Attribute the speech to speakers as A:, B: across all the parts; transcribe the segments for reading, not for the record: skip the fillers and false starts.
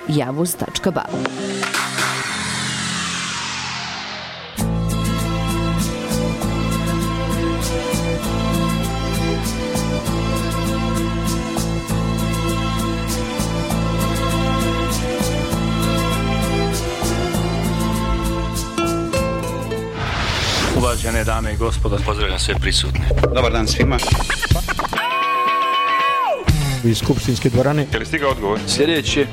A: javuz.ba.
B: Uvažene dame i gospodo, pozdravljam sve prisutne.
C: Dobar dan svima.
D: Iz skupštinske dvorane.
C: Je li stigao odgovor?
B: Sljedeći.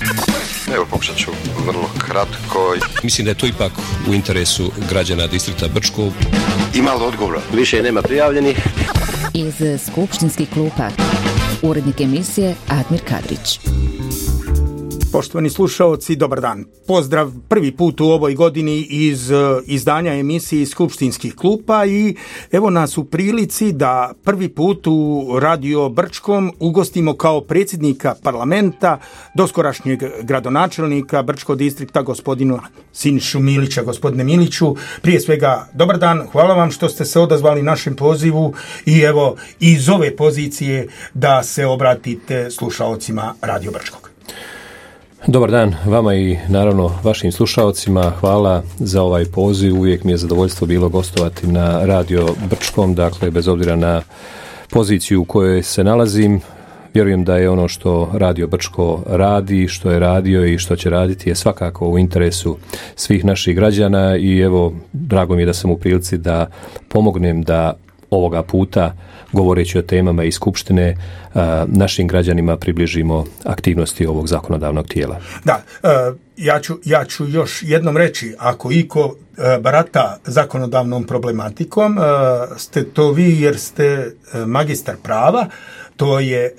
C: Evo, pokušat ću vrlo kratko.
E: Mislim da je to ipak u interesu građana distrikta Brčko.
C: Ima li odgovora?
F: Više nema prijavljenih.
A: Iz skupštinskih klupa urednik emisije Admir Kadrić.
D: Poštovani slušaoci, dobar dan. Pozdrav prvi put u ovoj godini iz izdanja emisije iz skupštinskih klupa i evo nas u prilici da prvi put u Radio Brčkom ugostimo kao predsjednika parlamenta doskorašnjeg gradonačelnika Brčkog distrikta gospodinu Sinišu Milića. Gospodine Miliću, prije svega dobar dan, hvala vam što ste se odazvali našem pozivu i evo iz ove pozicije da se obratite slušaocima Radio Brčkog.
E: Dobar dan vama i naravno vašim slušaocima. Hvala za ovaj poziv. Uvijek mi je zadovoljstvo bilo gostovati na Radio Brčkom, dakle bez obzira na poziciju u kojoj se nalazim. Vjerujem da je ono što Radio Brčko radi, što je radio i što će raditi je svakako u interesu svih naših građana i evo, drago mi je da sam u prilici da pomognem da ovoga puta, govoreći o temama iz Skupštine, našim građanima približimo aktivnosti ovog zakonodavnog tijela.
D: Da, ja ću još jednom reći, ako iko barata zakonodavnom problematikom, ste to vi jer ste magistar prava. To je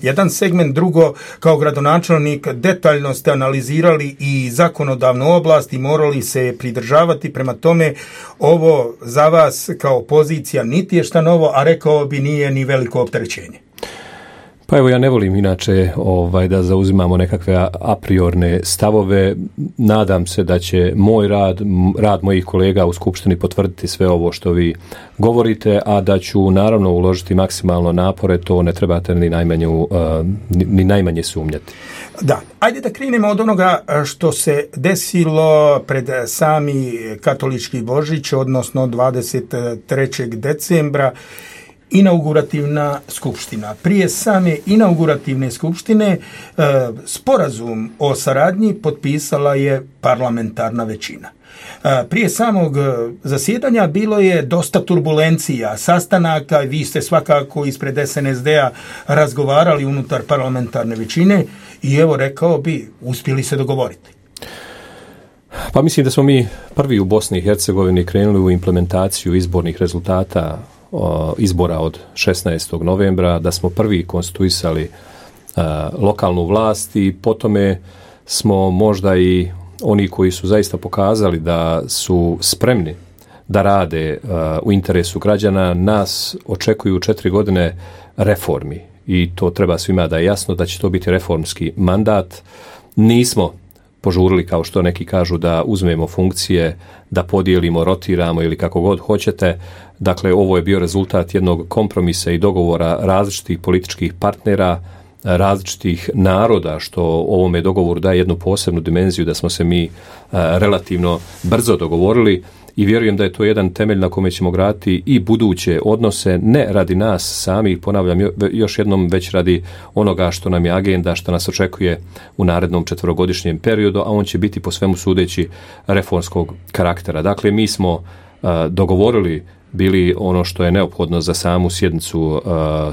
D: jedan segment. Drugo, kao gradonačelnik detaljno ste analizirali i zakonodavnu oblast i morali se pridržavati. Prema tome, ovo za vas kao pozicija niti je šta novo, a rekao bi nije ni veliko opterećenje.
E: Pa evo, ja ne volim inače da zauzimamo nekakve apriorne stavove. Nadam se da će moj rad mojih kolega u Skupštini potvrditi sve ovo što vi govorite, a da ću naravno uložiti maksimalno napore, to ne trebate ni najmanje sumnjati.
D: Da, ajde da krenemo od onoga što se desilo pred sami katolički Božić, odnosno 23. decembra, inaugurativna skupština. Prije same inaugurativne skupštine sporazum o saradnji potpisala je parlamentarna većina. Prije samog zasjedanja bilo je dosta turbulencija, sastanaka, vi ste svakako ispred SNSD-a razgovarali unutar parlamentarne većine i evo rekao bi, uspjeli se dogovoriti.
E: Pa mislim da smo mi prvi u Bosni i Hercegovini krenuli u implementaciju izbornih rezultata izbora od 16. novembra, da smo prvi konstituisali lokalnu vlast i po tome smo možda i oni koji su zaista pokazali da su spremni da rade u interesu građana. Nas očekuju 4 godine reformi i to treba svima da je jasno da će to biti reformski mandat. Nismo požurili, kao što neki kažu, da uzmemo funkcije, da podijelimo, rotiramo ili kako god hoćete. Dakle, ovo je bio rezultat jednog kompromisa i dogovora različitih političkih partnera, različitih naroda, što ovome dogovoru daje jednu posebnu dimenziju, da smo se mi relativno brzo dogovorili i vjerujem da je to jedan temelj na kome ćemo graditi i buduće odnose, ne radi nas sami, ponavljam još jednom, već radi onoga što nam je agenda, što nas očekuje u narednom 4-godišnjem periodu, a on će biti po svemu sudeći reformskog karaktera. Dakle, mi smo dogovorili bili ono što je neophodno za samu sjednicu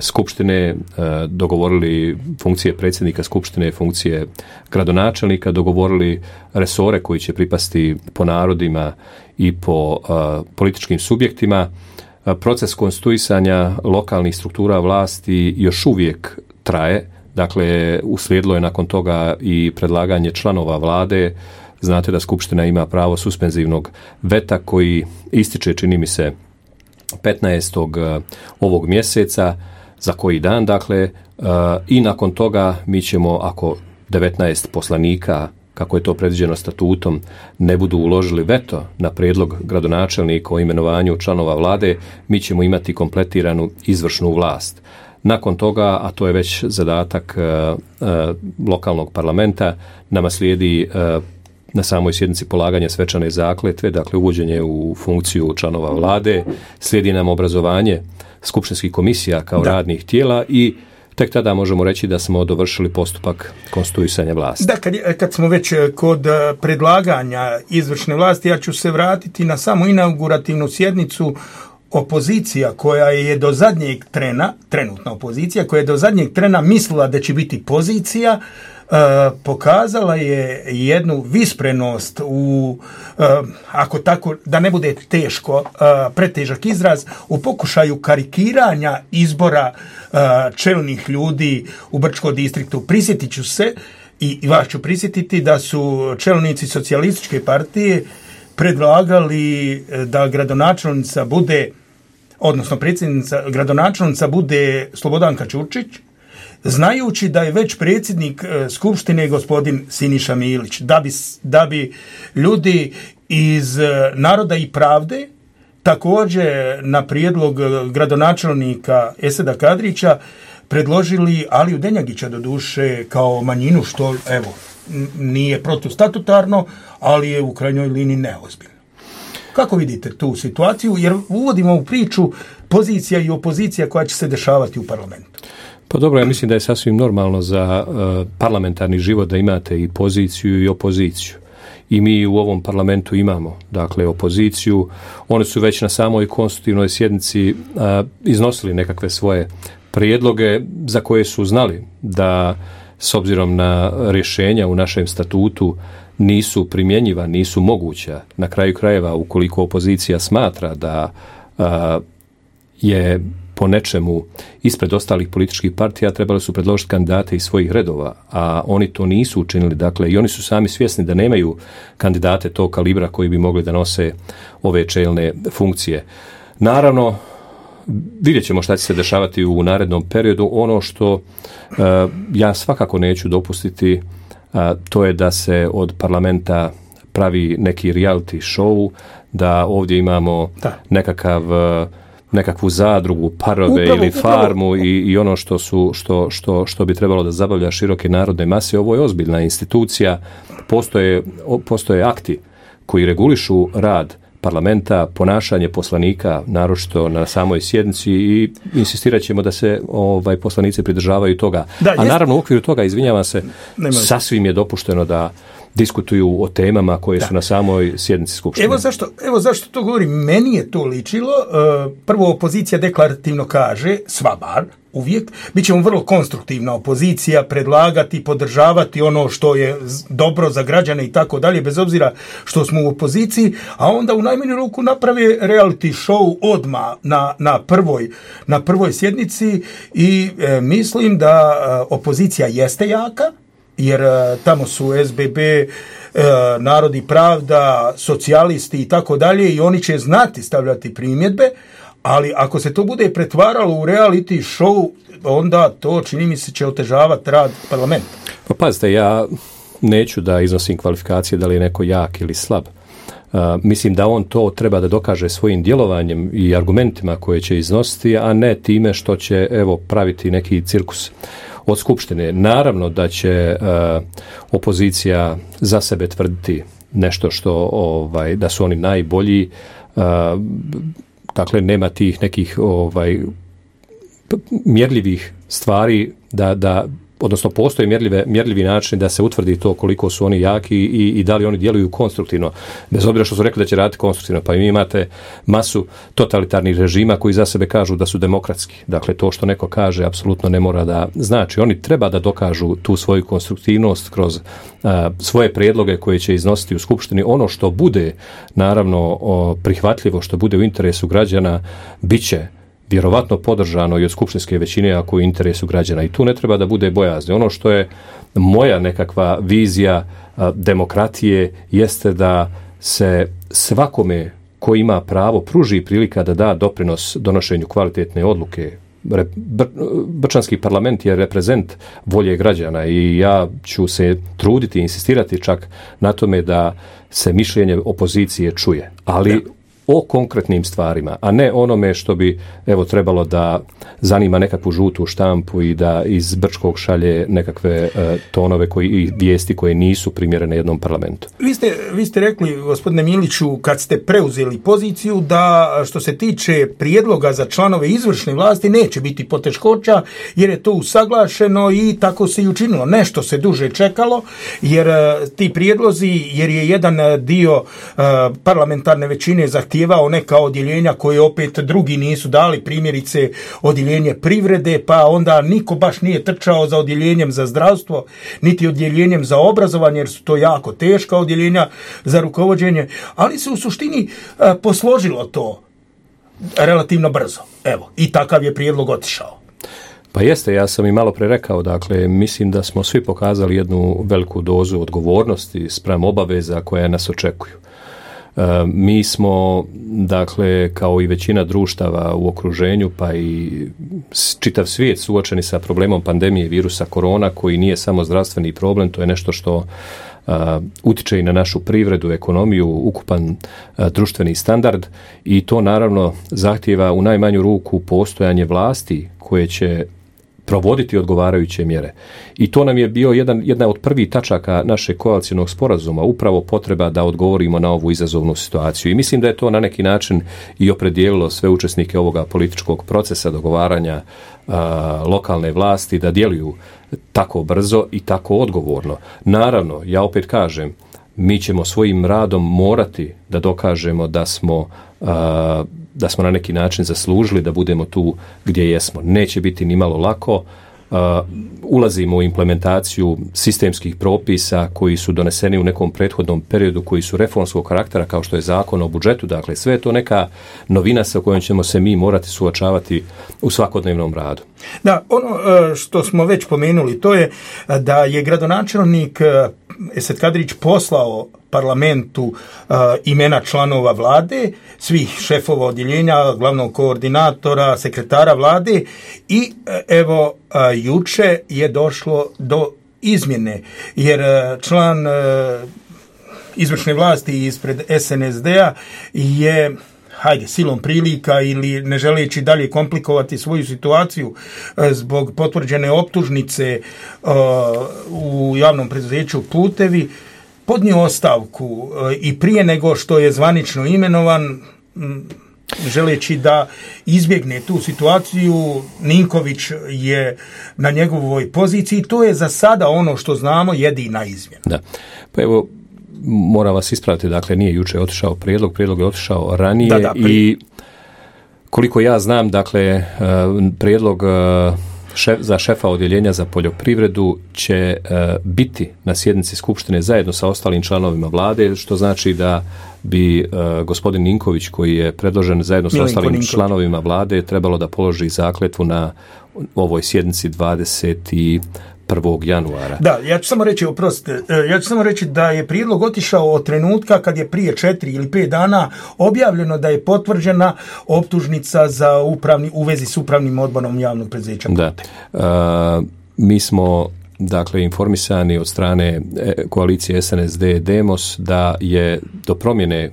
E: Skupštine, dogovorili funkcije predsjednika Skupštine, funkcije gradonačelnika, dogovorili resore koji će pripasti po narodima i po političkim subjektima. Proces konstituisanja lokalnih struktura vlasti još uvijek traje, dakle uslijedilo je nakon toga i predlaganje članova vlade. Znate da Skupština ima pravo suspenzivnog veta koji ističe, čini mi se, 15. ovog mjeseca, za koji dan, dakle, i nakon toga mi ćemo, ako 19 poslanika, kako je to predviđeno statutom, ne budu uložili veto na prijedlog gradonačelnika o imenovanju članova vlade, mi ćemo imati kompletiranu izvršnu vlast. Nakon toga, a to je već zadatak lokalnog parlamenta, nama slijedi na samoj sjednici polaganje svečane zakletve, dakle uvođenje u funkciju članova vlade, slijedi nam obrazovanje skupštinskih komisija kao radnih tijela i tek tada možemo reći da smo dovršili postupak konstituisanja vlasti.
D: Da, kad smo već kod predlaganja izvršne vlasti, ja ću se vratiti na samu inaugurativnu sjednicu. Opozicija koja je do zadnjeg trena, trenutna opozicija, koja je do zadnjeg trena mislila da će biti pozicija, pokazala je jednu visprenost u, ako tako, da ne bude teško, pretežak izraz, u pokušaju karikiranja izbora čelnih ljudi u Brčkom distriktu. Prisjetit ću se i vas ću prisjetiti da su čelnici socijalističke partije predlagali da gradonačelnica bude, odnosno predsjednica, gradonačelnica bude Slobodanka Ćurčić, znajući da je već predsjednik Skupštine gospodin Siniša Milić, da bi ljudi iz Naroda i pravde također na prijedlog gradonačelnika Eseda Kadrića predložili Aliju Denjagića, doduše kao manjinu, što evo nije protustatutarno, ali je u krajnjoj liniji neozbiljno. Kako vidite tu situaciju? Jer uvodimo u priču pozicija i opozicija koja će se dešavati u parlamentu.
E: Pa dobro, ja mislim da je sasvim normalno za parlamentarni život da imate i poziciju i opoziciju. I mi u ovom parlamentu imamo, dakle, opoziciju. Oni su već na samoj konstitutivnoj sjednici iznosili nekakve svoje prijedloge za koje su znali da s obzirom na rješenja u našem statutu nisu primjenjiva, nisu moguća. Na kraju krajeva, ukoliko opozicija smatra da je po nečemu ispred ostalih političkih partija, trebali su predložiti kandidate iz svojih redova, a oni to nisu učinili. Dakle, i oni su sami svjesni da nemaju kandidate tog kalibra koji bi mogli da nose ove čelne funkcije. Naravno, vidjet ćemo šta će se dešavati u narednom periodu. Ono što ja svakako neću dopustiti, to je da se od parlamenta pravi neki reality show, da ovdje imamo nekakvu zadrugu, parove ili farmu i ono što bi trebalo da zabavlja široke narodne mase. Ovo je ozbiljna institucija, postoje akti koji regulišu rad parlamenta, ponašanje poslanika, naročito na samoj sjednici, i insistirat ćemo da se poslanici pridržavaju toga. A naravno u okviru toga, izvinjavam se, sasvim je dopušteno da diskutuju o temama koje su na samoj sjednici Skupštine.
D: Evo zašto to govorim. Meni je to ličilo. Prvo, opozicija deklarativno kaže, sva bar, uvijek, bit ćemo vrlo konstruktivna opozicija, predlagati, podržavati ono što je dobro za građane i tako dalje, bez obzira što smo u opoziciji, a onda u najmanju ruku naprave reality show odmah na prvoj sjednici i mislim da opozicija jeste jaka, jer tamo su SBB, Narod i pravda, socijalisti i tako dalje, i oni će znati stavljati primjedbe, ali ako se to bude pretvaralo u reality show, onda to, čini mi se, će otežavati rad parlamenta.
E: Pa pazite, ja neću da iznosim kvalifikacije da li je neko jak ili slab. Mislim da on to treba da dokaže svojim djelovanjem i argumentima koje će iznositi, a ne time što će praviti neki cirkus od Skupštine. Naravno da će opozicija za sebe tvrditi nešto što da su oni najbolji. Dakle, nema tih nekih mjerljivih stvari odnosno postoji mjerljivi način da se utvrdi to koliko su oni jaki i da li oni djeluju konstruktivno. Bez obzira što su rekli da će raditi konstruktivno, pa vi imate masu totalitarnih režima koji za sebe kažu da su demokratski. Dakle, to što neko kaže apsolutno ne mora da znači. Oni treba da dokažu tu svoju konstruktivnost kroz svoje prijedloge koje će iznositi u Skupštini. Ono što bude, naravno, prihvatljivo, što bude u interesu građana, bit će vjerovatno podržano i od skupštinske većine ako je u interesu građana. I tu ne treba da bude bojazni. Ono što je moja nekakva vizija demokratije jeste da se svakome ko ima pravo pruži prilika da da doprinos donošenju kvalitetne odluke. Brčanski parlament je reprezent volje građana i ja ću se truditi, insistirati čak na tome da se mišljenje opozicije čuje. Ali o konkretnim stvarima, a ne onome što bi trebalo da zanima nekakvu žutu štampu i da iz Brčkog šalje nekakve tonove i vijesti koje nisu primjerene jednom parlamentu.
D: Vi ste rekli, gospodine Miliću, kad ste preuzeli poziciju, da što se tiče prijedloga za članove izvršne vlasti neće biti poteškoća, jer je to usaglašeno i tako se i učinilo. Nešto se duže čekalo, jer ti prijedlozi, jer je jedan dio parlamentarne većine zahtijevao neka odjeljenja koje opet drugi nisu dali, primjerice odjeljenje privrede, pa onda niko baš nije trčao za odjeljenjem za zdravstvo, niti odjeljenjem za obrazovanje, jer su to jako teška odjeljenja za rukovođenje, ali se u suštini posložilo to relativno brzo. Evo, i takav je prijedlog otišao.
E: Pa jeste, ja sam i malo pre rekao, dakle, mislim da smo svi pokazali jednu veliku dozu odgovornosti spram obaveza koje nas očekuju. Mi smo, dakle, kao i većina društava u okruženju, pa i čitav svijet suočeni sa problemom pandemije virusa korona, koji nije samo zdravstveni problem, to je nešto što utiče i na našu privredu, ekonomiju, ukupan društveni standard, i to naravno zahtijeva u najmanju ruku postojanje vlasti koje će provoditi odgovarajuće mjere. I to nam je bio jedna od prvih tačaka našeg koalicijnog sporazuma, upravo potreba da odgovorimo na ovu izazovnu situaciju. I mislim da je to na neki način i opredijelilo sve učesnike ovoga političkog procesa dogovaranja lokalne vlasti da djeluju tako brzo i tako odgovorno. Naravno, ja opet kažem, mi ćemo svojim radom morati da dokažemo da smo na neki način zaslužili da budemo tu gdje jesmo. Neće biti ni malo lako. Ulazimo u implementaciju sistemskih propisa koji su doneseni u nekom prethodnom periodu, koji su reformskog karaktera, kao što je Zakon o budžetu. Dakle, sve je to neka novina sa kojom ćemo se mi morati suočavati u svakodnevnom radu.
D: Da, ono što smo već pomenuli, to je da je gradonačelnik Esad Kadrić poslao parlamentu imena članova vlade, svih šefova odjeljenja, glavnog koordinatora, sekretara vlade, i evo juče je došlo do izmjene, jer član izvršne vlasti ispred SNSD-a je, silom prilika ili ne želeći dalje komplikovati svoju situaciju zbog potvrđene optužnice u javnom preduzeću Putevi, podnio ostavku i prije nego što je zvanično imenovan, želeći da izbjegne tu situaciju. Ninković je na njegovoj poziciji. To je za sada ono što znamo jedina izmjena.
E: Da. Pa evo, moram vas ispraviti, dakle, nije juče otišao prijedlog je otišao ranije. I koliko ja znam, dakle, prijedlog za šefa odjeljenja za poljoprivredu će biti na sjednici Skupštine zajedno sa ostalim članovima vlade, što znači da bi gospodin Ninković, koji je predložen zajedno sa ostalim članovima vlade, trebalo da položi zakletvu na ovoj sjednici 21. januara.
D: Da, ja ću samo reći da je prijedlog otišao od trenutka kad je prije 4 ili 5 dana objavljeno da je potvrđena optužnica u vezi s upravnim odborom javnog preduzeća.
E: Da. Mi smo, dakle, informisani od strane koalicije SNSD-Demos da je do promjene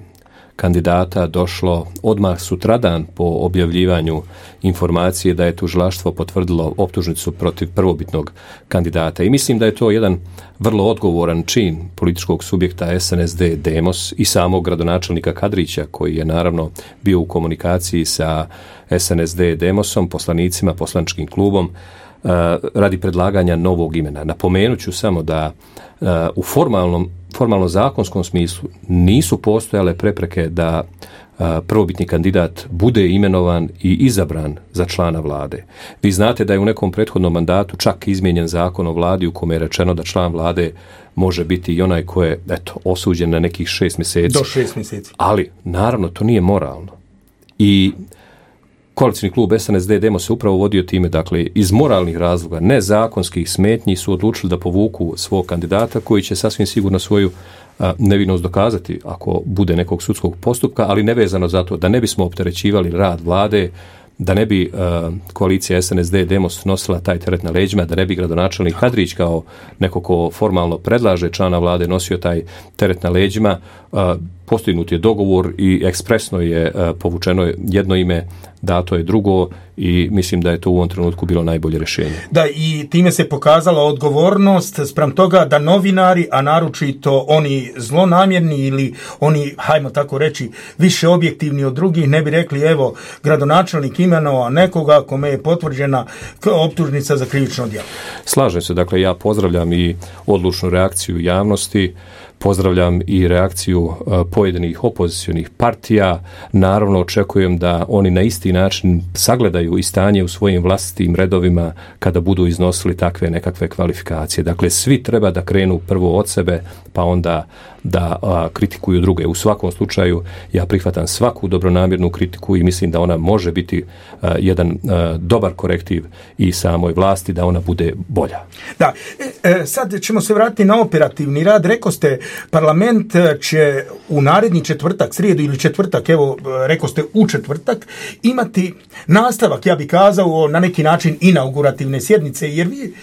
E: kandidata došlo odmah sutradan po objavljivanju informacije da je tužilaštvo potvrdilo optužnicu protiv prvobitnog kandidata. I mislim da je to jedan vrlo odgovoran čin političkog subjekta SNSD-Demos i samog gradonačelnika Kadrića, koji je naravno bio u komunikaciji sa SNSD-Demosom, poslanicima, poslaničkim klubom, radi predlaganja novog imena. Napomenut ću samo da u formalno zakonskom smislu nisu postojale prepreke da prvobitni kandidat bude imenovan i izabran za člana vlade. Vi znate da je u nekom prethodnom mandatu čak izmijenjen zakon o vladi u kome je rečeno da član vlade može biti i onaj ko je osuđen na nekih 6 mjeseci.
D: Do 6 mjeseci.
E: Ali, naravno, to nije moralno. I koalicijni klub SNSD-Demos se upravo vodio time, dakle, iz moralnih razloga, ne zakonskih smetnji, su odlučili da povuku svog kandidata koji će sasvim sigurno svoju nevinost dokazati ako bude nekog sudskog postupka, ali nevezano za to da ne bismo opterećivali rad vlade, da ne bi koalicija SNSD-Demos nosila taj teret na leđima, da ne bi gradonačelnik Kadrić kao neko ko formalno predlaže člana vlade nosio taj teret na leđima. postignut je dogovor i ekspresno je povučeno jedno ime, dato je drugo i mislim da je to u ovom trenutku bilo najbolje rješenje.
D: Da, i time se pokazala odgovornost spram toga da novinari, a naročito oni zlonamjerni ili oni, hajmo tako reći, više objektivni od drugih, ne bi rekli evo, gradonačelnik imenovao nekoga kome je potvrđena optužnica za krivično djelo.
E: Slažem se, dakle ja pozdravljam i odlučnu reakciju javnosti, pozdravljam i reakciju pojedinih opozicionih partija. Naravno očekujem da oni na isti način sagledaju i stanje u svojim vlastitim redovima kada budu iznosili takve nekakve kvalifikacije. Dakle, svi treba da krenu prvo od sebe, pa onda da kritikuju druge. U svakom slučaju ja prihvatam svaku dobronamjernu kritiku i mislim da ona može biti jedan dobar korektiv i samoj vlasti da ona bude bolja.
D: Da, sad ćemo se vratiti na operativni rad. Rekao ste, parlament će u naredni četvrtak, srijedu ili četvrtak, evo, rekao ste u četvrtak, imati nastavak, ja bih kazao, na neki način inaugurativne sjednice, jer vi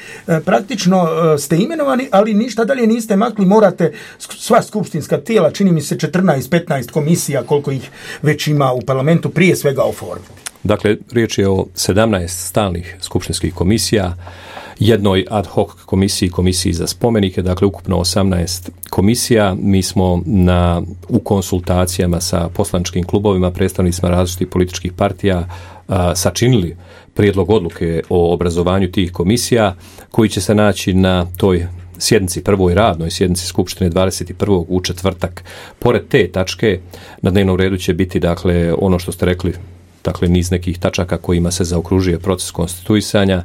D: praktično ste imenovani, ali ništa dalje niste makli, morate sva skupštinska tijela, čini mi se 14-15 komisija, koliko ih već ima u parlamentu, prije svega oformiti.
E: Dakle, riječ je o 17 stalnih skupštinskih komisija, jednoj ad hoc komisiji za spomenike, dakle ukupno 18 komisija. Mi smo u konsultacijama sa poslaničkim klubovima, predstavnicima različitih političkih partija sačinili prijedlog odluke o obrazovanju tih komisija koji će se naći na toj sjednici, prvoj radnoj sjednici Skupštine 21. u četvrtak. Pored te tačke na dnevnom redu će biti, dakle, ono što ste rekli, dakle niz nekih tačaka kojima se zaokružuje proces konstituisanja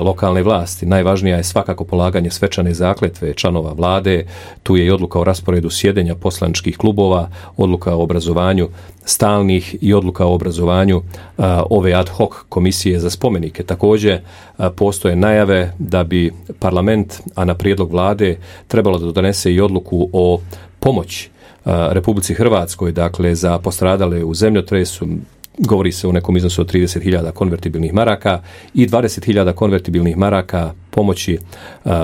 E: lokalne vlasti. Najvažnija je svakako polaganje svečane zakletve članova vlade, tu je i odluka o rasporedu sjedenja poslaničkih klubova, odluka o obrazovanju stalnih i odluka o obrazovanju ove ad hoc komisije za spomenike. Također postoje najave da bi parlament, a na prijedlog vlade, trebalo da donese i odluku o pomoći Republici Hrvatskoj, dakle za postradale u zemljotresu. Govori se o nekom iznosu od 30.000 konvertibilnih maraka i 20.000 konvertibilnih maraka pomoći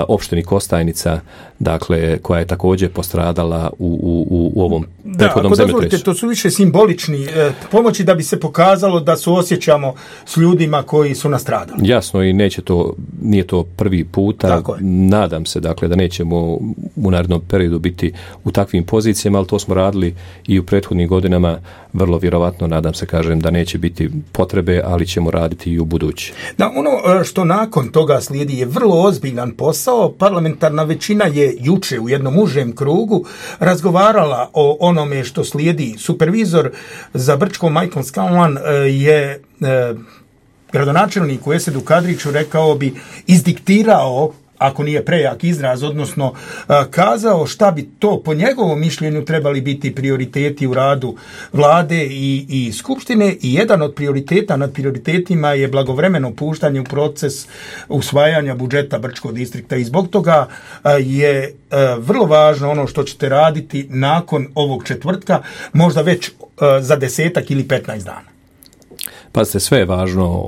E: opštini Kostajnica, dakle, koja je također postradala u ovom prethodnom zemljotresu.
D: To su više simbolični pomoći da bi se pokazalo da suosjećamo s ljudima koji su nastradali.
E: Jasno, i nije to prvi puta. Nadam se, dakle, da nećemo u narednom periodu biti u takvim pozicijama, ali to smo radili i u prethodnim godinama. Vrlo vjerovatno, nadam se, kažem, da neće biti potrebe, ali ćemo raditi i u budući.
D: Da, ono što nakon toga slijedi je vrlo ozbiljan posao. Parlamentarna većina je juče u jednom užem krugu razgovarala o onome što slijedi. Supervizor za Brčko Michael Scanlon je gradonačelniku Esedu Kadriću, rekao bi, izdiktirao, ako nije prejak izraz, odnosno kazao šta bi to po njegovom mišljenju trebali biti prioriteti u radu vlade i skupštine, i jedan od prioriteta nad prioritetima je blagovremeno puštanje u proces usvajanja budžeta Brčkog distrikta, i zbog toga je vrlo važno ono što ćete raditi nakon ovog četvrtka, možda već za 10 ili 15 dana.
E: Pazite, sve je važno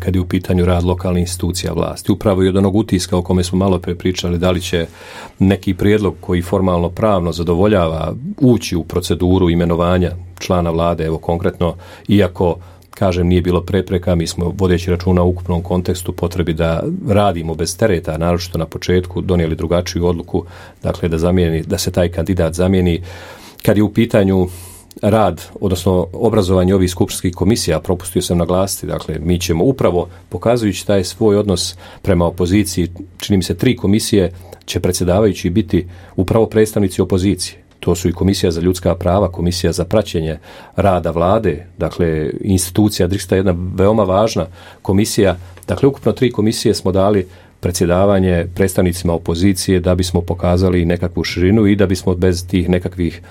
E: kad je u pitanju rad lokalnih institucija vlasti. Upravo i od onog utiska o kome smo malo pre pričali, da li će neki prijedlog koji formalno pravno zadovoljava ući u proceduru imenovanja člana vlade, evo konkretno, iako, kažem, nije bilo prepreka, mi smo, vodeći računa u ukupnom kontekstu, potrebi da radimo bez tereta, naročito na početku, donijeli drugačiju odluku, dakle da se taj kandidat zamijeni. Kad je u pitanju rad, odnosno obrazovanje ovih skupštinskih komisija, propustio sam naglasiti, dakle, mi ćemo upravo, pokazujući taj svoj odnos prema opoziciji, čini mi se 3 komisije će predsjedavajući biti upravo predstavnici opozicije. To su i Komisija za ljudska prava, Komisija za praćenje rada vlade, dakle, institucija DRIXTA, jedna veoma važna komisija. Dakle, ukupno 3 komisije smo dali predsjedavanje predstavnicima opozicije da bismo pokazali nekakvu širinu i da bismo bez tih nekakvih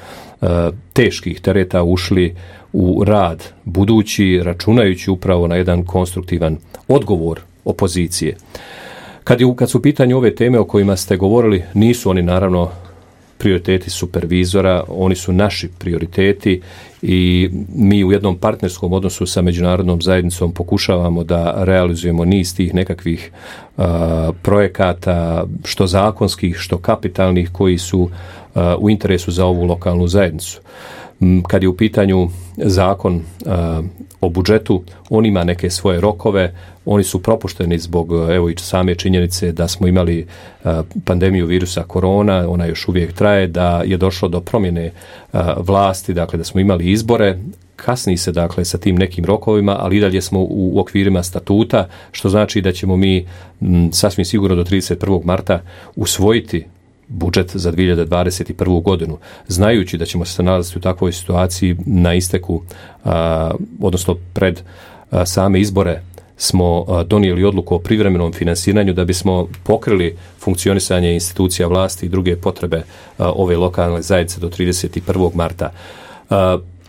E: teških tereta ušli u rad budući, računajući upravo na jedan konstruktivan odgovor opozicije. Kad su u pitanju ove teme o kojima ste govorili, nisu oni naravno prioriteti supervizora, oni su naši prioriteti i mi u jednom partnerskom odnosu sa međunarodnom zajednicom pokušavamo da realizujemo niz tih nekakvih projekata, što zakonskih, što kapitalnih, koji su u interesu za ovu lokalnu zajednicu. Kad je u pitanju zakon o budžetu, on ima neke svoje rokove, oni su propušteni zbog evo i same činjenice da smo imali pandemiju virusa korona, ona još uvijek traje, da je došlo do promjene vlasti, dakle da smo imali izbore, kasni se dakle sa tim nekim rokovima, ali i dalje smo u okvirima statuta, što znači da ćemo mi sasvim sigurno do 31. marta usvojiti budžet za 2021. godinu, znajući da ćemo se nalaziti u takvoj situaciji na isteku, odnosno pred same izbore smo donijeli odluku o privremenom finansiranju da bismo pokrili funkcionisanje institucija vlasti i druge potrebe ove lokalne zajednice do 31. marta.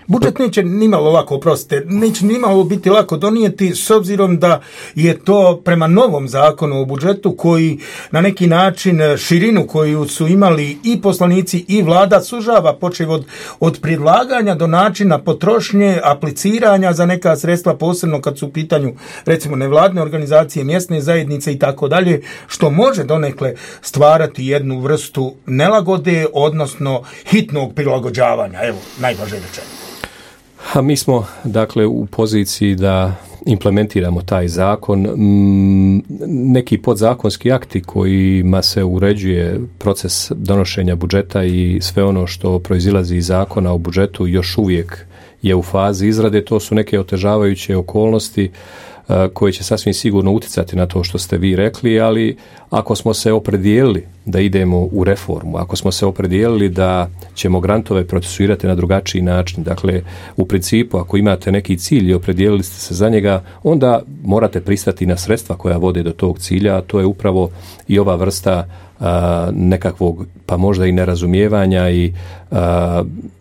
D: Budžet neće nimalo lako, oprostite, neće nimalo biti lako donijeti s obzirom da je to prema novom zakonu o budžetu koji na neki način širinu koju su imali i poslanici i vlada sužava, počev od predlaganja do načina potrošnje, apliciranja za neka sredstva, posebno kad su u pitanju recimo nevladne organizacije, mjesne zajednice i tako dalje, što može donekle stvarati jednu vrstu nelagode, odnosno hitnog prilagođavanja, evo, najvažnije rečeno.
E: A mi smo dakle u poziciji da implementiramo taj zakon. Neki podzakonski akti kojima se uređuje proces donošenja budžeta i sve ono što proizilazi iz zakona o budžetu još uvijek je u fazi izrade. To su neke otežavajuće okolnosti koje će sasvim sigurno utjecati na to što ste vi rekli, ali ako smo se opredijelili da idemo u reformu, ako smo se opredijelili da ćemo grantove procesuirati na drugačiji način, dakle u principu ako imate neki cilj i opredijelili ste se za njega, onda morate pristati na sredstva koja vode do tog cilja, a to je upravo i ova vrsta nekakvog pa možda i nerazumijevanja i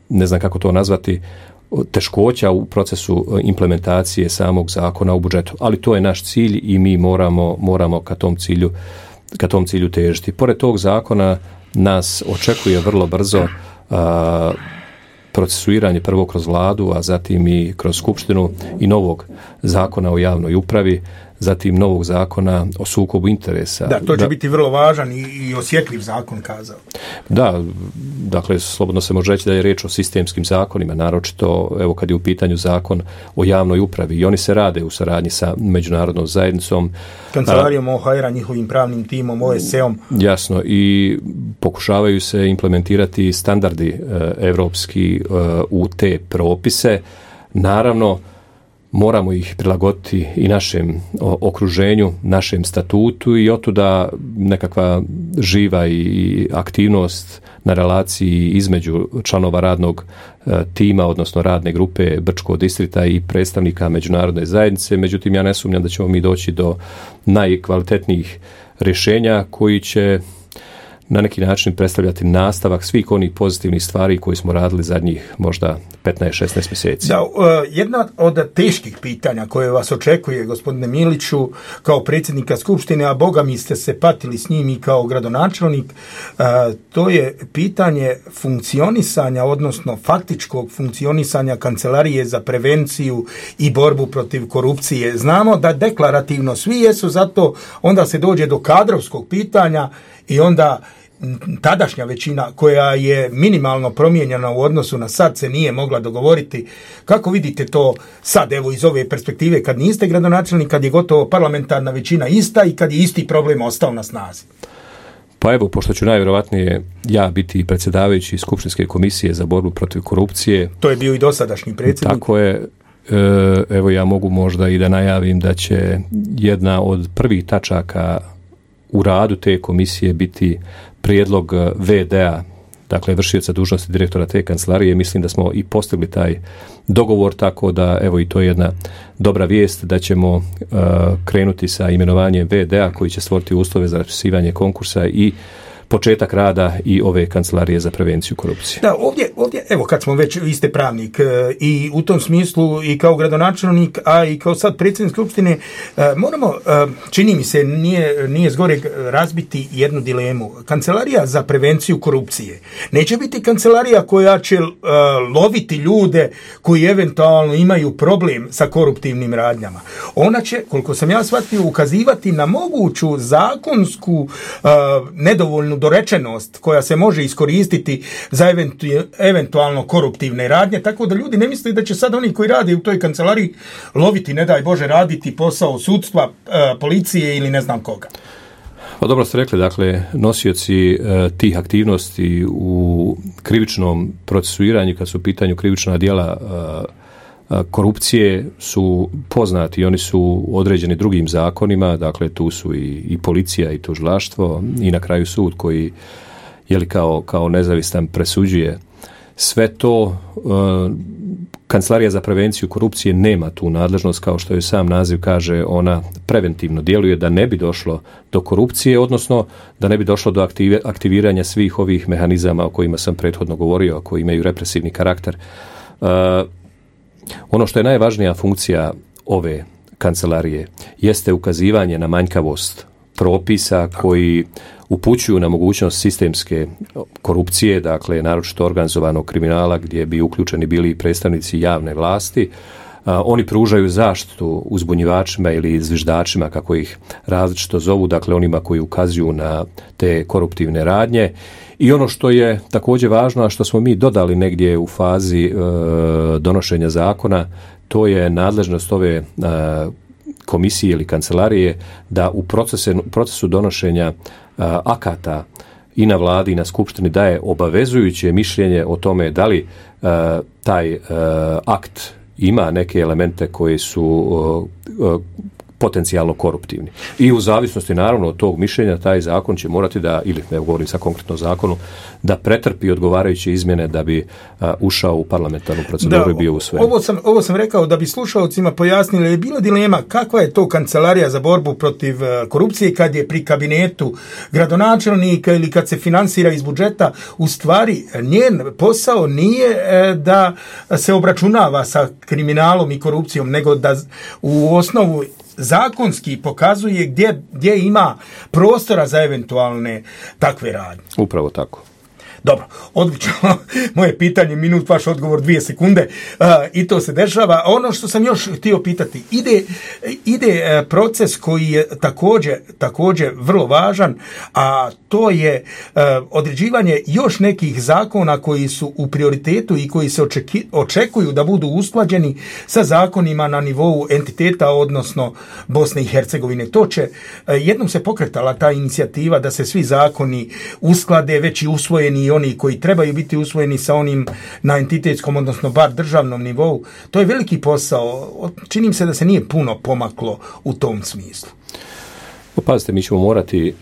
E: ne znam kako to nazvati, teškoća u procesu implementacije samog zakona o budžetu, ali to je naš cilj i mi moramo ka tom cilju težiti. Pored tog zakona nas očekuje vrlo brzo procesuiranje prvo kroz vladu, a zatim i kroz skupštinu i novog zakona o javnoj upravi, zatim novog zakona o sukobu interesa.
D: Da, to će biti vrlo važan i osjetljiv zakon, kazao.
E: Da, dakle, slobodno se može reći da je riječ o sistemskim zakonima, naročito, evo kad je u pitanju zakon o javnoj upravi i oni se rade u saradnji sa međunarodnom zajednicom.
D: Kancelarijom OHR-a, njihovim pravnim timom, OSCE-om.
E: Jasno, i pokušavaju se implementirati standardi evropski u te propise. Naravno, moramo ih prilagoditi i našem okruženju, našem statutu i otuda nekakva živa i aktivnost na relaciji između članova radnog tima, odnosno radne grupe Brčkog distrikta i predstavnika međunarodne zajednice. Međutim, ja ne sumnjam da ćemo mi doći do najkvalitetnijih rješenja koji će na neki način predstavljati nastavak svih onih pozitivnih stvari koje smo radili zadnjih možda 15-16 mjeseci.
D: Da, jedna od teških pitanja koje vas očekuje, gospodine Miliću, kao predsjednika Skupštine, a boga mi ste se patili s njim i kao gradonačelnik, to je pitanje funkcionisanja, odnosno faktičkog funkcionisanja Kancelarije za prevenciju i borbu protiv korupcije. Znamo da deklarativno svi jesu za to, onda se dođe do kadrovskog pitanja i onda tadašnja većina koja je minimalno promijenjena u odnosu na sad se nije mogla dogovoriti. Kako vidite to sad, evo iz ove perspektive, kad niste gradonačelnik, kad je gotovo parlamentarna većina ista i kad je isti problem ostao na snazi?
E: Pa evo, pošto ću najvjerovatnije ja biti predsjedavajući Skupštinske komisije za borbu protiv korupcije.
D: To je bio i dosadašnji predsjednik.
E: Tako je. Evo ja mogu možda i da najavim da će jedna od prvih tačaka u radu te komisije biti prijedlog VD-a, dakle vršioca dužnosti direktora te kancelarije. Mislim da smo i postigli taj dogovor, tako da evo i to je jedna dobra vijest da ćemo krenuti sa imenovanjem VD-a koji će stvoriti uslove za raspisivanje konkursa i početak rada i ove kancelarije za prevenciju korupcije.
D: Da, ovdje, evo kad smo već, vi ste pravnik i u tom smislu i kao gradonačelnik, a i kao sad predsjednik skupštine, moramo, čini mi se, nije zgoreg razbiti jednu dilemu. Kancelarija za prevenciju korupcije neće biti kancelarija koja će loviti ljude koji eventualno imaju problem sa koruptivnim radnjama. Ona će, koliko sam ja shvatio, ukazivati na moguću zakonsku nedovoljnu dorečenost koja se može iskoristiti za eventualno koruptivne radnje, tako da ljudi ne misle da će sad oni koji rade u toj kancelariji loviti, ne daj Bože, raditi posao sudstva, policije ili ne znam koga.
E: Pa dobro ste rekli, dakle, nosioci tih aktivnosti u krivičnom procesuiranju, kad su u pitanju krivična djela korupcije, su poznati i oni su određeni drugim zakonima, dakle tu su i policija i tužilaštvo i na kraju sud koji kao nezavistan presuđuje. Sve to Kancelarija za prevenciju korupcije nema tu nadležnost, kao što je sam naziv kaže, ona preventivno djeluje da ne bi došlo do korupcije, odnosno da ne bi došlo do aktiviranja svih ovih mehanizama o kojima sam prethodno govorio, koji imaju represivni karakter. Ono što je najvažnija funkcija ove kancelarije jeste ukazivanje na manjkavost propisa koji upućuju na mogućnost sistemske korupcije, dakle naročito organizovanog kriminala gdje bi uključeni bili i predstavnici javne vlasti. Oni pružaju zaštitu uzbunjivačima ili zviždačima, kako ih različito zovu, dakle onima koji ukazuju na te koruptivne radnje. I ono što je također važno, a što smo mi dodali negdje u fazi donošenja zakona, to je nadležnost ove komisije ili kancelarije da u procesu donošenja akata i na vladi i na skupštini daje obavezujuće mišljenje o tome da li taj akt ima neke elemente koji su potencijalno koruptivni. I u zavisnosti naravno od tog mišljenja taj zakon će morati da, ili ne govorim sad konkretno o zakonu, da pretrpi odgovarajuće izmjene da bi ušao u parlamentarnu proceduru i bio usvojen.
D: Ovo sam rekao da bi slušalcima pojasnili, je bila dilema kakva je to kancelarija za borbu protiv korupcije kad je pri kabinetu gradonačelnika ili kad se finansira iz budžeta. U stvari njen posao nije da se obračunava sa kriminalom i korupcijom, nego da u osnovu zakonski pokazuje gdje ima prostora za eventualne takve radnje.
E: Upravo tako.
D: Dobro, odlično. Moje pitanje, minut, vaš odgovor 2 sekunde. I to se dešava. Ono što sam još htio pitati, ide proces koji je također vrlo važan, a to je određivanje još nekih zakona koji su u prioritetu i koji se očekuju da budu usklađeni sa zakonima na nivou entiteta, odnosno Bosne i Hercegovine. To će, jednom se pokretala ta inicijativa da se svi zakoni usklade, već i usvojeni i oni koji trebaju biti usvojeni sa onim na entitetskom, odnosno bar državnom nivou. To je veliki posao. Čini mi se da se nije puno pomaklo u tom smislu.
E: Pazite, mi ćemo morati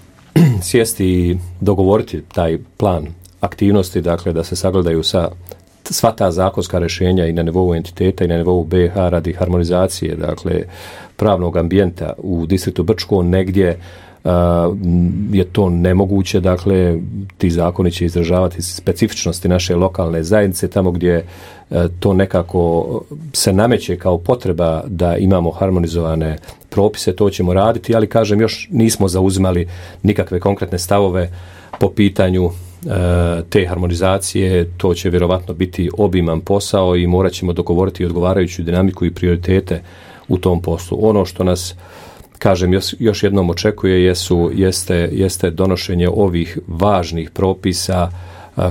E: sjesti i dogovoriti taj plan aktivnosti, dakle da se sagledaju sva ta zakonska rješenja i na nivou entiteta i na nivou BiH radi harmonizacije, dakle pravnog ambijenta u distriktu Brčko. Negdje je to nemoguće, dakle ti zakoni će izražavati specifičnosti naše lokalne zajednice, tamo gdje to nekako se nameće kao potreba da imamo harmonizovane propise, to ćemo raditi, ali kažem, još nismo zauzimali nikakve konkretne stavove po pitanju te harmonizacije. To će vjerovatno biti obiman posao i morat ćemo dogovoriti odgovarajuću dinamiku i prioritete u tom poslu. Ono što nas, kažem, još jednom očekuje jeste donošenje ovih važnih propisa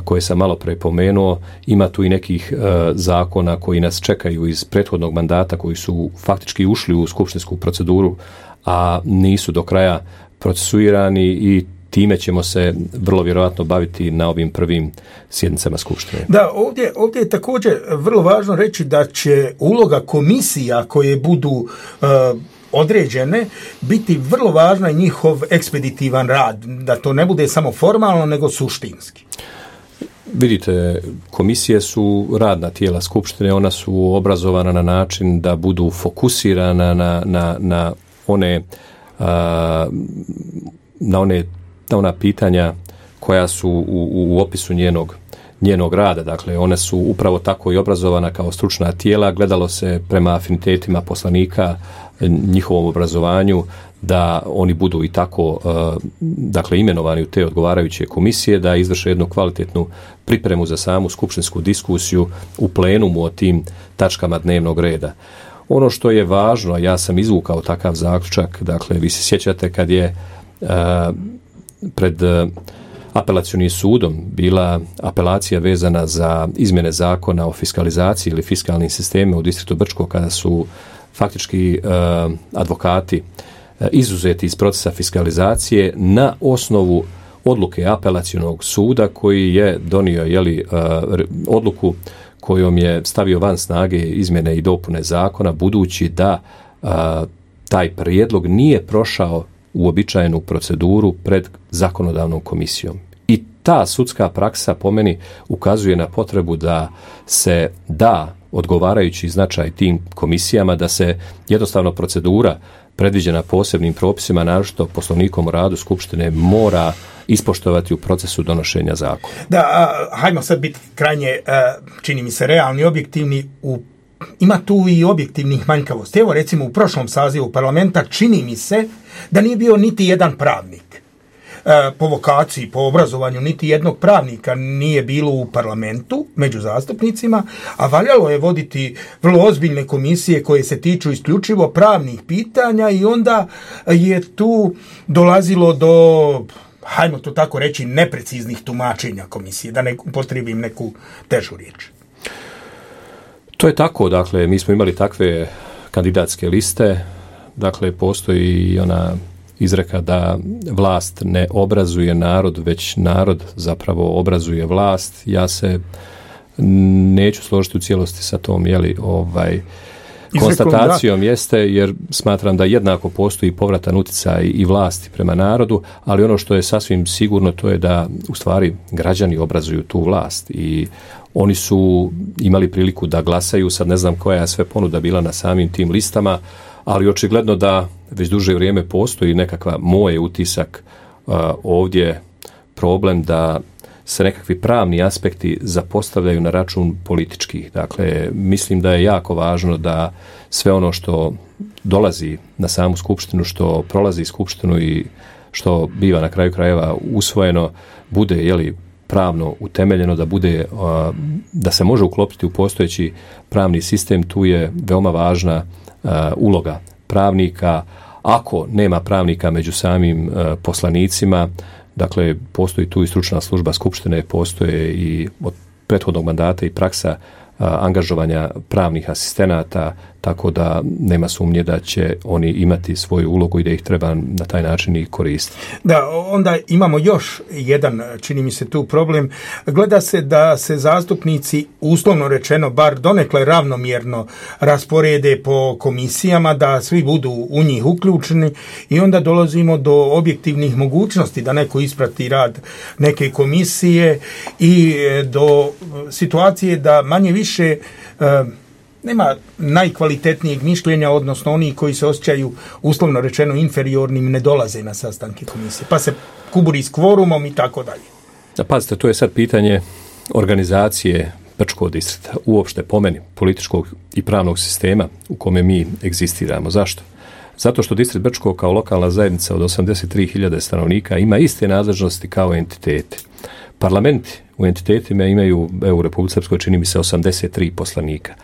E: koje sam malo pre pomenuo. Ima tu i nekih zakona koji nas čekaju iz prethodnog mandata, koji su faktički ušli u skupštinsku proceduru, a nisu do kraja procesuirani i time ćemo se vrlo vjerojatno baviti na ovim prvim sjednicama skupštine.
D: Da, ovdje je također vrlo važno reći da će uloga komisija koje budu određene biti vrlo važna i njihov ekspeditivan rad, da to ne bude samo formalno nego suštinski.
E: Vidite, komisije su radna tijela skupštine, ona su obrazovana na način da budu fokusirana na ona pitanja koja su u opisu njenog rada. Dakle, one su upravo tako i obrazovana kao stručna tijela. Gledalo se prema afinitetima poslanika, njihovom obrazovanju, da oni budu i tako dakle, imenovani u te odgovarajuće komisije, da izvrše jednu kvalitetnu pripremu za samu skupštinsku diskusiju u plenumu o tim tačkama dnevnog reda. Ono što je važno, ja sam izvukao takav zaključak, dakle, vi se sjećate kad je pred apelacionim sudom bila apelacija vezana za izmjene zakona o fiskalizaciji ili fiskalnim sistemima u distriktu Brčko, kada su faktički advokati izuzeti iz procesa fiskalizacije na osnovu odluke apelacionog suda koji je donio odluku kojom je stavio van snage izmjene i dopune zakona, budući da taj prijedlog nije prošao uobičajenu proceduru pred zakonodavnom komisijom. I ta sudska praksa po meni ukazuje na potrebu da se da odgovarajući značaj tim komisijama, da se jednostavno procedura predviđena posebnim propisima, naročito Poslovnikom o radu Skupštine, mora ispoštovati u procesu donošenja zakona.
D: Da, hajmo sad biti krajnje, čini mi se, realni, objektivni. Ima tu i objektivnih manjkavosti. Evo, recimo, u prošlom sazivu parlamenta čini mi se da nije bio niti jedan pravnik. Po vokaciji, po obrazovanju, niti jednog pravnika nije bilo u parlamentu među zastupnicima, a valjalo je voditi vrlo ozbiljne komisije koje se tiču isključivo pravnih pitanja i onda je tu dolazilo do, hajmo to tako reći, nepreciznih tumačenja komisije, da ne upotrijebim neku težu riječ.
E: To je tako, dakle, mi smo imali takve kandidatske liste, dakle, postoji i ona izreka da vlast ne obrazuje narod, već narod zapravo obrazuje vlast. Ja se neću složiti u cijelosti sa tom konstatacijom, jeste, jer smatram da jednako postoji povratan utjecaj i vlasti prema narodu, ali ono što je sasvim sigurno, to je da u stvari građani obrazuju tu vlast i oni su imali priliku da glasaju. Sad ne znam koja je sve ponuda bila na samim tim listama, ali očigledno da već duže vrijeme postoji nekakva, moj utisak ovdje, problem da se nekakvi pravni aspekti zapostavljaju na račun političkih. Dakle, mislim da je jako važno da sve ono što dolazi na samu skupštinu, što prolazi skupštinu i što biva na kraju krajeva usvojeno, bude pravno utemeljeno, da se može uklopiti u postojeći pravni sistem. Tu je veoma važna uloga pravnika. Ako nema pravnika među samim poslanicima, dakle, postoji tu i stručna služba Skupštine, postoje i od prethodnog mandata i praksa angažovanja pravnih asistenata, tako da nema sumnje da će oni imati svoju ulogu i da ih treba na taj način i koristiti.
D: Da, onda imamo još jedan, čini mi se, tu problem. Gleda se da se zastupnici, uslovno rečeno, bar donekle ravnomjerno rasporede po komisijama, da svi budu u njih uključeni i onda dolazimo do objektivnih mogućnosti da neko isprati rad neke komisije i do situacije da manje više nema najkvalitetnijeg mišljenja, odnosno oni koji se osjećaju uslovno rečeno inferiornim ne dolaze na sastanke komisije, pa se kuburi s kvorumom i tako dalje.
E: Pazite, to je sad pitanje organizacije Brčkog distrikta, uopšte po meni političkog i pravnog sistema u kome mi egzistiramo. Zašto? Zato što distrikt Brčko kao lokalna zajednica od 83.000 stanovnika ima iste nadležnosti kao entiteti. Parlamenti u entitetima imaju, u Republici Srpskoj čini mi se 83 poslanika.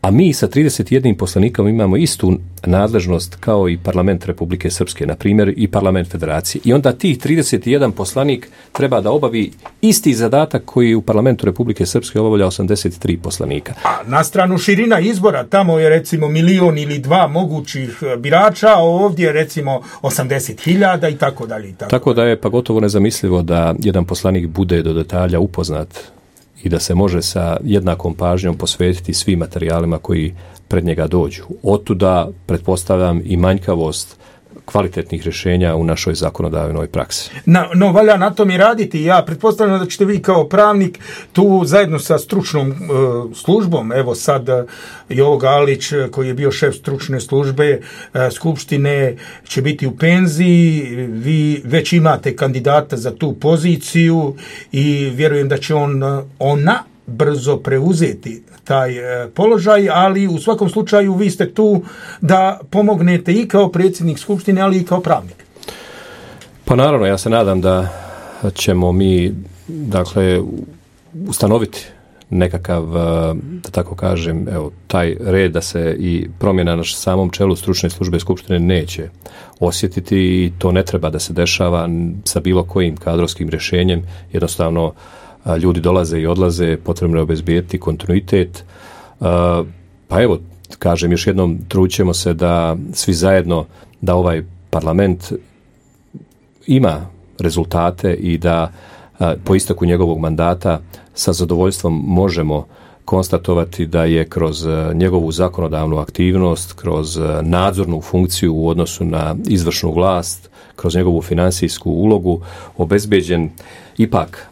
E: A mi sa 31 poslanikom imamo istu nadležnost kao i parlament Republike Srpske, na primjer i parlament Federacije. I onda tih 31 poslanik treba da obavi isti zadatak koji u parlamentu Republike Srpske obavlja 83 poslanika.
D: A na stranu širina izbora, tamo je recimo 1 ili 2 mogućih birača, a ovdje recimo 80.000 i tako dalje.
E: Tako da je pa gotovo nezamislivo da jedan poslanik bude do detalja upoznat i da se može sa jednakom pažnjom posvetiti svim materijalima koji pred njega dođu. Otuda, pretpostavljam, i manjkavost kvalitetnih rješenja u našoj zakonodavnoj praksi.
D: No, valja na tom i raditi. Ja pretpostavljam da ćete vi kao pravnik tu zajedno sa stručnom službom, evo sad Jovo Galić koji je bio šef stručne službe Skupštine će biti u penziji, vi već imate kandidata za tu poziciju i vjerujem da će ona brzo preuzeti taj položaj, ali u svakom slučaju vi ste tu da pomognete i kao predsjednik Skupštine, ali i kao pravnik.
E: Pa naravno, ja se nadam da ćemo mi, dakle, ustanoviti nekakav, da tako kažem, evo, taj red da se i promjena na samom čelu stručne službe Skupštine neće osjetiti i to ne treba da se dešava sa bilo kojim kadrovskim rješenjem. Jednostavno, ljudi dolaze i odlaze, potrebno je obezbijeti kontinuitet. Pa evo, kažem još jednom, trućemo se da svi zajedno, da ovaj parlament ima rezultate i da po isteku njegovog mandata sa zadovoljstvom možemo konstatovati da je kroz njegovu zakonodavnu aktivnost, kroz nadzornu funkciju u odnosu na izvršnu vlast, kroz njegovu financijsku ulogu obezbeđen ipak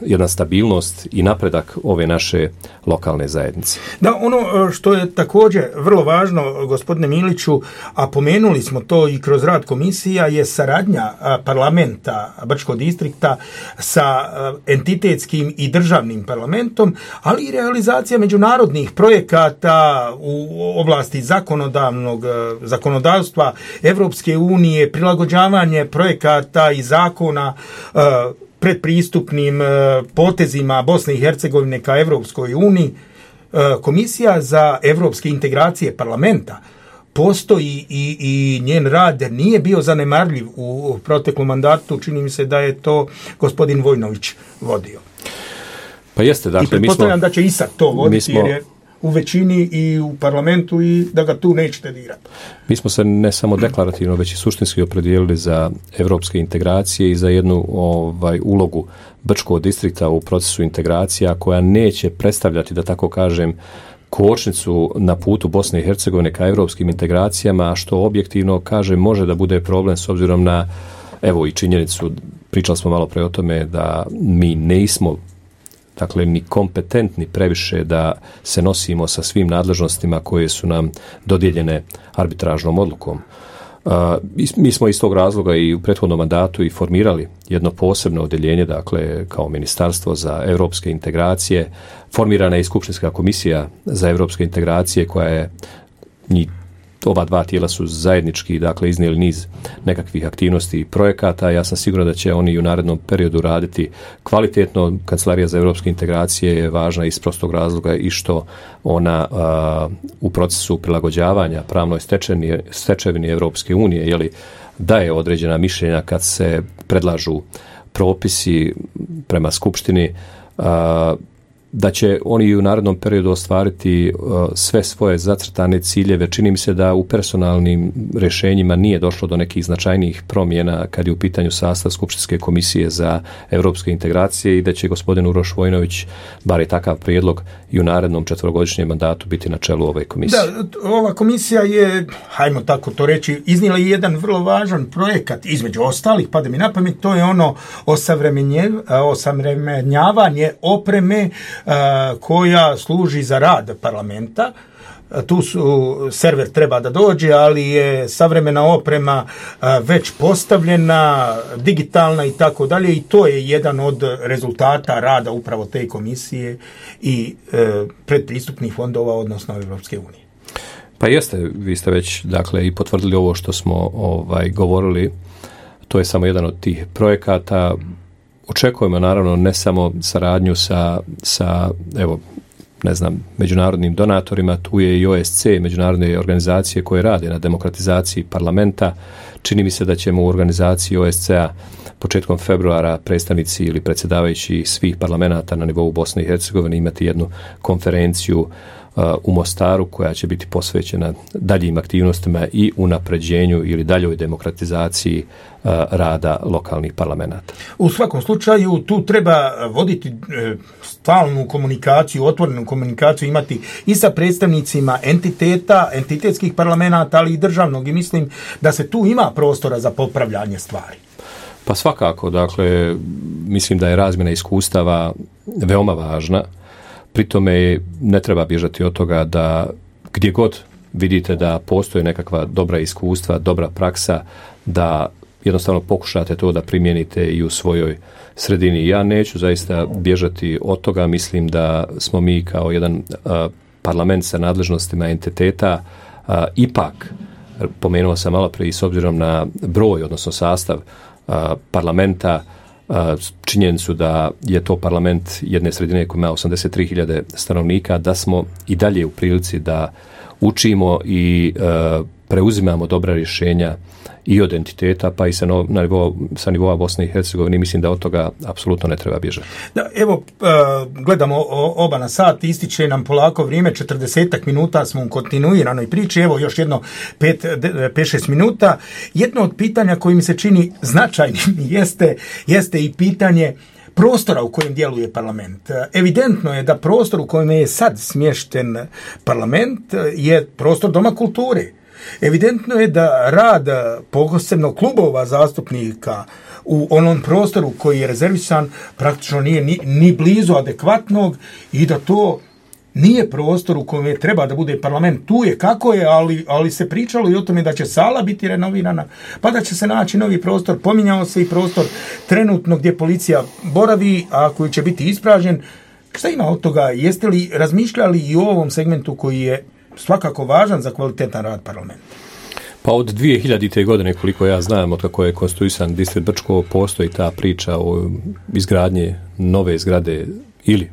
E: jedna stabilnost i napredak ove naše lokalne zajednice.
D: Da, ono što je također vrlo važno, gospodine Miliću, a pomenuli smo to i kroz rad komisija, je saradnja parlamenta Brčkog distrikta sa entitetskim i državnim parlamentom, ali i realizacija međunarodnih projekata u oblasti zakonodavstva Evropske unije, prilagođavanje projekata i zakona predpristupnim potezima Bosne i Hercegovine ka Evropskoj uniji. Komisija za evropske integracije parlamenta postoji i njen rad nije bio zanemarljiv u proteklom mandatu. Čini mi se da je to gospodin Vojnović vodio.
E: Pa jeste, dakle,
D: i pretpostavljam da će i sad to voditi jer je u većini i u parlamentu i da ga tu nećete dirati.
E: Mi smo se ne samo deklarativno, već i suštinski opredijelili za evropske integracije i za jednu ulogu Brčkog distrikta u procesu integracija koja neće predstavljati, da tako kažem, kočnicu na putu Bosne i Hercegovine ka evropskim integracijama, što objektivno, kažem, može da bude problem s obzirom na, evo i činjenicu, pričali smo malo pre o tome da mi nismo, dakle, ni kompetentni previše da se nosimo sa svim nadležnostima koje su nam dodijeljene arbitražnom odlukom. Mi smo iz tog razloga i u prethodnom mandatu i formirali jedno posebno odjeljenje, dakle, kao Ministarstvo za evropske integracije. Formirana je i Skupštinska komisija za evropske integracije koja je, ova dva tijela su zajednički, dakle, iznijeli niz nekakvih aktivnosti i projekata. Ja sam siguran da će oni u narednom periodu raditi kvalitetno. Kancelarija za evropske integracije je važna iz prostog razloga i što ona u procesu prilagođavanja pravnoj stečevini Evropske unije daje određena mišljenja kad se predlažu propisi prema Skupštini, da će oni u narednom periodu ostvariti sve svoje zacrtane ciljeve. Čini mi se da u personalnim rješenjima nije došlo do nekih značajnijih promjena kad je u pitanju sastav Skupštinske komisije za evropske integracije i da će gospodin Uroš Vojnović, bar je takav prijedlog, i u narednom 4-godišnjem mandatu biti na čelu ove komisije.
D: Da, ova komisija je, hajmo tako to reći, iznijela i jedan vrlo važan projekat, između ostalih, pada mi na pamet, to je ono osavremenjavanje opreme koja služi za rad parlamenta. Tu server treba da dođe, ali je savremena oprema već postavljena, digitalna i tako dalje, i to je jedan od rezultata rada upravo te komisije i predpristupnih fondova, odnosno Evropske unije.
E: Pa jeste, vi ste već, dakle, i potvrdili ovo što smo govorili. To je samo jedan od tih projekata. Očekujemo naravno ne samo saradnju sa evo, ne znam, međunarodnim donatorima, tu je i OSC, međunarodne organizacije koje rade na demokratizaciji parlamenta. Čini mi se da ćemo u organizaciji OSC-a početkom februara predstavnici ili predsjedavajući svih parlamenta na nivou Bosne i Hercegovine imati jednu konferenciju u Mostaru koja će biti posvećena daljim aktivnostima i unapređenju ili daljoj demokratizaciji rada lokalnih parlamenata.
D: U svakom slučaju tu treba voditi stalnu komunikaciju, otvorenu komunikaciju imati i sa predstavnicima entitetskih parlamenata, ali i državnog, i mislim da se tu ima prostora za popravljanje stvari.
E: Pa svakako, dakle, mislim da je razmjena iskustava veoma važna. Pri tome ne treba bježati od toga da gdje god vidite da postoje nekakva dobra iskustva, dobra praksa, da jednostavno pokušate to da primijenite i u svojoj sredini. Ja neću zaista bježati od toga, mislim da smo mi kao jedan parlament sa nadležnostima entiteta ipak, pomenuo sam malo prije, s obzirom na broj, odnosno sastav parlamenta, činjenicu da je to parlament jedne sredine koja ima 83.000 stanovnika, da smo i dalje u prilici da učimo i preuzimamo dobra rješenja i od entiteta, pa i sa nivoa Bosne i Hercegovine. Mislim da od toga apsolutno ne treba bježati.
D: Da, evo, gledamo oba na sat, ističe nam polako vrijeme, 40 minuta smo u kontinuiranoj priči, evo još jedno 5-6 minuta. Jedno od pitanja koji mi se čini značajnim jeste i pitanje prostora u kojem djeluje parlament. Evidentno je da prostor u kojem je sad smješten parlament je prostor Doma kulture. Evidentno je da rad posebno klubova zastupnika u onom prostoru koji je rezervisan praktično nije ni blizu adekvatnog i da to nije prostor u kojem treba da bude parlament. Tu je kako je, ali se pričalo i o tome da će sala biti renovirana, pa da će se naći novi prostor. Pominjao se i prostor trenutno gdje policija boravi, a koji će biti ispražnjen. Šta ima od toga? Jeste li razmišljali i o ovom segmentu koji je svakako važan za kvalitetan rad parlamenta?
E: Pa od 2000. godine, koliko ja znam, od kako je konstituisan distrikt Brčko, postoji ta priča o izgradnji nove zgrade ili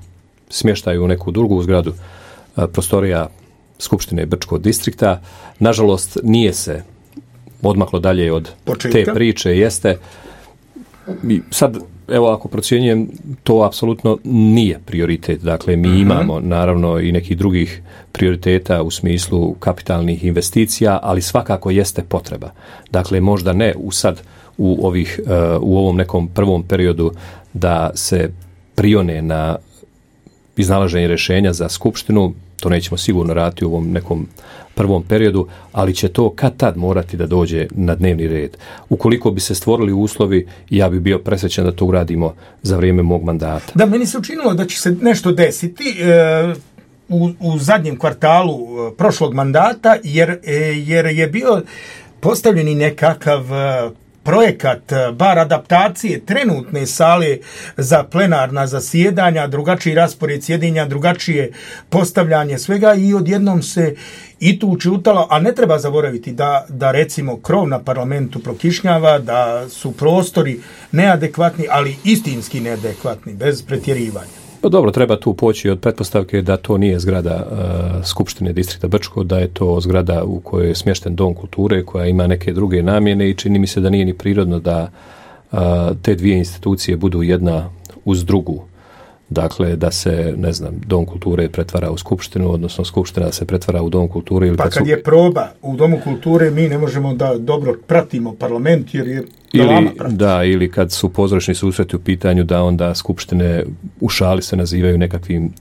E: smještaju u neku drugu zgradu prostorija Skupštine Brčkog distrikta. Nažalost, nije se odmaklo dalje od te priče, jeste. Sad, evo, ako procjenjujem, to apsolutno nije prioritet. Dakle, mi imamo naravno i nekih drugih prioriteta u smislu kapitalnih investicija, ali svakako jeste potreba. Dakle, možda ne u ovom nekom prvom periodu da se prione na iznalaženje rješenja za skupštinu, to nećemo sigurno raditi u ovom nekom prvom periodu, ali će to kad tad morati da dođe na dnevni red. Ukoliko bi se stvorili uslovi, ja bi bio presrećan da to uradimo za vrijeme mog mandata.
D: Da, meni se učinilo da će se nešto desiti u zadnjem kvartalu prošlog mandata, jer je bio postavljeni nekakav projekat, bar adaptacije trenutne sale za plenarna zasjedanja, drugačiji raspored sjedinja, drugačije postavljanje svega i odjednom se i tu učutalo, a ne treba zaboraviti da recimo krov na parlamentu prokišnjava, da su prostori neadekvatni, ali istinski neadekvatni, bez pretjerivanja.
E: Pa dobro, treba tu poći od pretpostavke da to nije zgrada Skupštine distrikta Brčko, da je to zgrada u kojoj je smješten Dom kulture koja ima neke druge namjene i čini mi se da nije ni prirodno da te dvije institucije budu jedna uz drugu. Dakle, da se, ne znam, Dom kulture pretvara u skupštinu, odnosno skupština se pretvara u Dom kulture. Ili
D: pa kad je proba u Domu kulture, mi ne možemo da dobro pratimo parlament, jer je
E: ili kad su pozorišni susreti u pitanju, da onda skupštine u šali se nazivaju nekakvim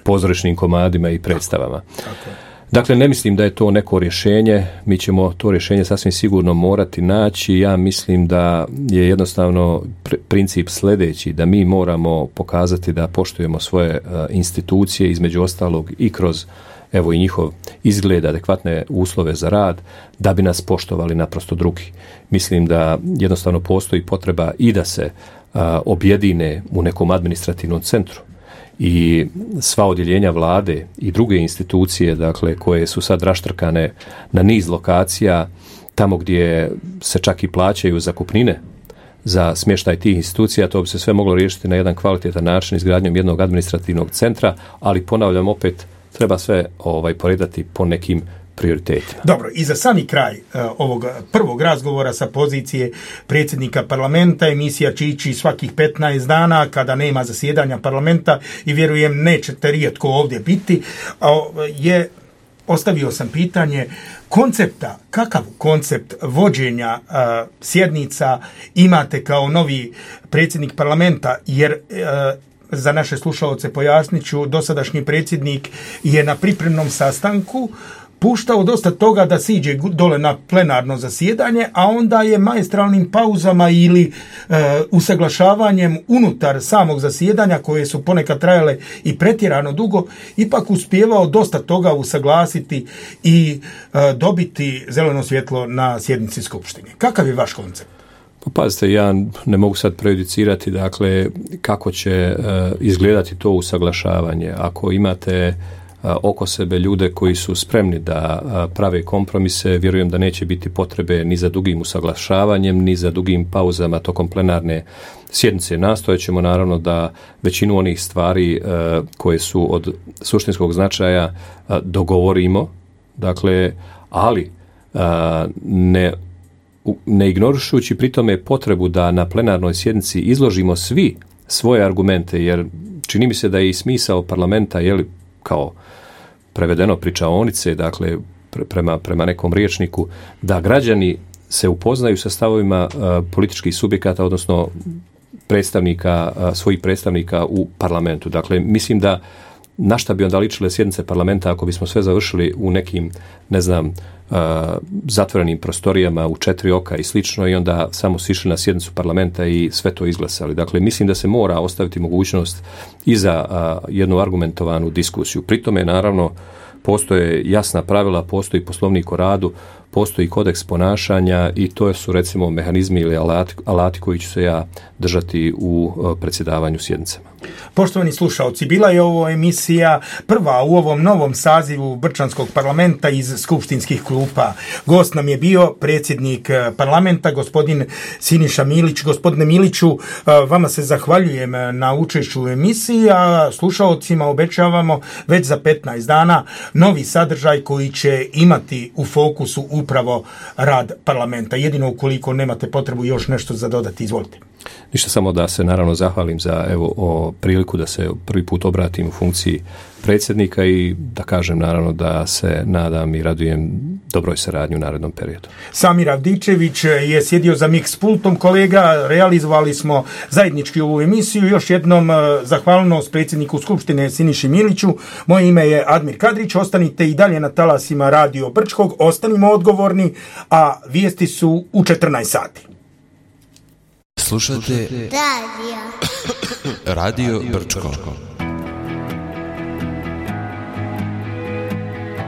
E: pozorišnim komadima i predstavama.
D: Tako.
E: Dakle, ne mislim da je to neko rješenje, mi ćemo to rješenje sasvim sigurno morati naći. Ja mislim da je jednostavno princip sljedeći, da mi moramo pokazati da poštujemo svoje institucije, između ostalog i kroz evo i njihov izgled, adekvatne uslove za rad, da bi nas poštovali naprosto drugi. Mislim da jednostavno postoji potreba i da se objedine u nekom administrativnom centru i sva odjeljenja vlade i druge institucije, dakle, koje su sad raštrkane na niz lokacija, tamo gdje se čak i plaćaju zakupnine za smještaj tih institucija, to bi se sve moglo riješiti na jedan kvalitetan način izgradnjom jednog administrativnog centra, ali ponavljam opet, treba sve poredati po nekim prioritetima.
D: Dobro, i za sami kraj ovog prvog razgovora sa pozicije predsjednika parlamenta, emisija će ići svakih 15 dana kada nema zasjedanja parlamenta i vjerujem nećete rijetko ovdje biti, ostavio sam pitanje koncepta, kakav koncept vođenja sjednica imate kao novi predsjednik parlamenta, jer za naše slušaoce pojasnit ću, dosadašnji predsjednik je na pripremnom sastanku puštao dosta toga da siđe dole na plenarno zasjedanje, a onda je maestralnim pauzama ili usaglašavanjem unutar samog zasjedanja, koje su ponekad trajale i pretjerano dugo, ipak uspijevao dosta toga usaglasiti i dobiti zeleno svjetlo na sjednici skupštine. Kakav je vaš koncept?
E: Pa pazite, ja ne mogu sad prejudicirati dakle kako će izgledati to usaglašavanje. Ako imate oko sebe ljude koji su spremni da prave kompromise, vjerujem da neće biti potrebe ni za dugim usaglašavanjem, ni za dugim pauzama tokom plenarne sjednice. Nastojat ćemo naravno da većinu onih stvari koje su od suštinskog značaja dogovorimo, dakle, ali ne ignorušući pri tome potrebu da na plenarnoj sjednici izložimo svi svoje argumente, jer čini mi se da je i smisao parlamenta, kao prevedeno pričaonice, dakle prema nekom rječniku, da građani se upoznaju sa stavovima političkih subjekata, odnosno svojih predstavnika u parlamentu. Dakle, mislim da na šta bi onda ličile sjednice parlamenta ako bismo sve završili u nekim, zatvorenim prostorijama u 4 oka i slično i onda samo sišli na sjednicu parlamenta i sve to izglasali. Dakle, mislim da se mora ostaviti mogućnost i za jednu argumentovanu diskusiju. Pri tome, naravno, postoje jasna pravila, postoji poslovnik o radu, postoji kodeks ponašanja i to su recimo mehanizmi ili alati koji ću se ja držati u predsjedavanju sjednicama.
D: Poštovani slušalci, bila je ovo emisija prva u ovom novom sazivu Brčanskog parlamenta iz skupštinskih klupa. Gost nam je bio predsjednik parlamenta, gospodin Siniša Milić. Gospodine Miliću, vama se zahvaljujem na učešću u emisiji, a slušalcima obećavamo već za 15 dana novi sadržaj koji će imati u fokusu upravo rad parlamenta. Jedino ukoliko nemate potrebu još nešto za dodati, izvolite.
E: Ništa, samo da se naravno zahvalim za priliku da se prvi put obratim u funkciji predsjednika i da kažem naravno da se nadam i radujem dobroj saradnji u narednom periodu.
D: Samir Avdičević je sjedio za mix pultom, kolega, realizovali smo zajednički ovu emisiju. Još jednom zahvalnost predsjedniku Skupštine Siniši Miliću. Moje ime je Admir Kadrić, ostanite i dalje na talasima Radio Brčkog, ostanimo odgovorni, a vijesti su u 14 sati.
F: Slušajte Radio Brčko.